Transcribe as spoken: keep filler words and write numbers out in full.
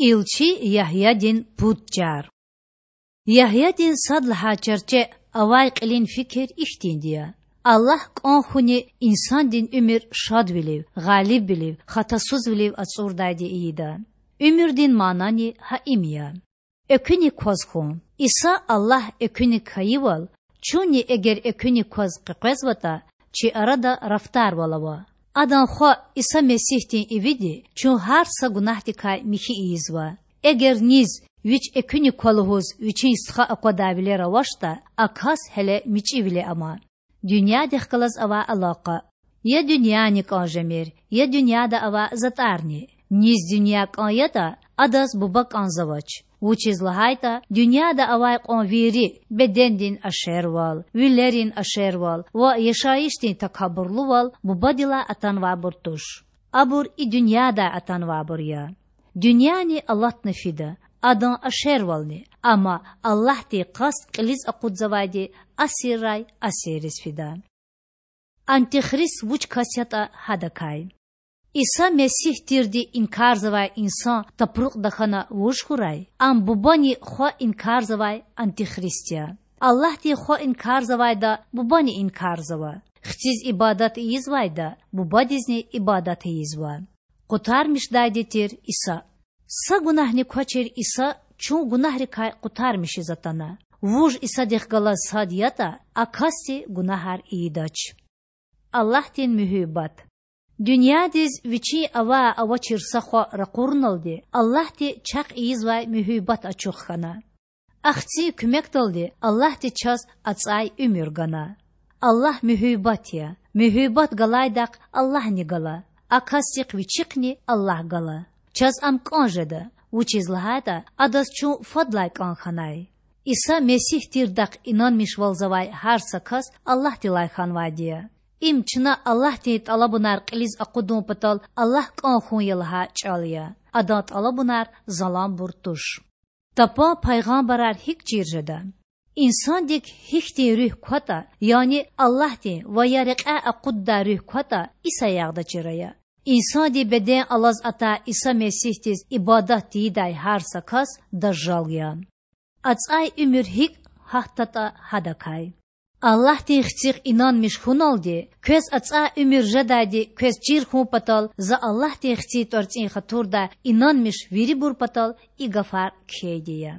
Илчи Ягьядин пуд чар. Ягьядин сад лагьай чарче авай кьилин фикир ихьтинди я: Аллагь кӀан хьуни инсандин уьмуьр шадвилив, гъалибвилив, хатасузвилив ацӀурдайди ийида. Уьмуьрдин манани гьа им я. Экуьник кваз хьун. Иса Аллагь экуьник хьайивал, чунни эгер экуьник кваз къекъвезватӀа, чи арада рафтарвал ава. Адан Хва Иса Месигьдин ивиди чун гьар са гунагьдикай михьи ийизва. Эгер низ, вич экуьник ква лугьуз, вичин стха аквадай вилер авачтӀа, а кас гьеле мичӀивиле ама. Дуьньядихъ галаз авай алакъа. Я дуьньяни кӀан жемир, я дуьньяда авай затӀарни. Низ дуьнья кӀан ятӀа, адаз Буба кӀанзавач. Вучиз лагьайтӀа дуьньяда авай кьван вири, бедендин ашервал, вилерин ашервал ва яшайишдин такабурлувал Бубадилай атанвайбур туш. Абур и дуьньядай атанвайбур я. Дуьньяни алатна фида, адан ашервални, амма Аллагьдин къаст кьилиз акъудзавайди асиррай асирриз фида. Антихрист вуч кас ятӀа, гьадакай. Иса Месигь тирди инкарзавай инсан тапрукьда хьана вуж хьурай? Ам Бубани Хва инкарзавай антихрист я. Аллагьдин Хва инкарзавайда Бубани инкарзава. Хциз ибадат ийизвайда Бубадизни ибадат ийизва. Къутармишдайди тир Иса. Са гунагьни квачир Иса чун гунагьрикай къутармишиз атана. Вуж Исадихъ галаз сад ятӀа, а касди гунагьар ийидач. Аллагьдин муьгьуьббат. Дуьньядиз Вичин авай-авачир са Хва ракъурналди Аллагьди чахъ ийизвай муьгьуьббат ачух хьана. Ахцин куьмекдалди Аллагьди чаз ацӀай уьмуьр гана. Аллагь муьгьуьббат я. Муьгьуьббат галайдахъ Аллагьни гала, а касдихъ вичихъни Аллагь гала. Чаз Ам кӀан жеда, вучиз лагьайтӀа Адаз чун фадлай кӀан хьанай. Иса Месигь тирдахъ инанмишвалзавай гьар са кас Аллагьдилай хьанвайди я. Им чна Аллагьдин тӀалабунар кьилиз акъудун патал Аллагь кӀан хьун я лагьай чӀал я. Адан тӀалабунар заланбур туш. Тапан пайгъамбарар гьикӀ чир жеда? Инсандик гьихьтин руьгь кватӀа, яни Аллагьдин ва я рекьяй акъуддай руьгь кватӀа, и саягъда чир ая. Инсандин беден алаз атай Иса Месигьдиз ибадат тийидай гьар са кас дажжал я. АцӀай уьмуьр гьикӀ гьатдатӀа, гьадакай. Аллагьдин Хцихъ инанмиш хьуналди, квез ацӀай уьмуьр жедайди квез чир хьун патал За Аллагьдин Хцин тӀварцӀин хатурдай инанмиш вирибур патал и гафар кхьейди я.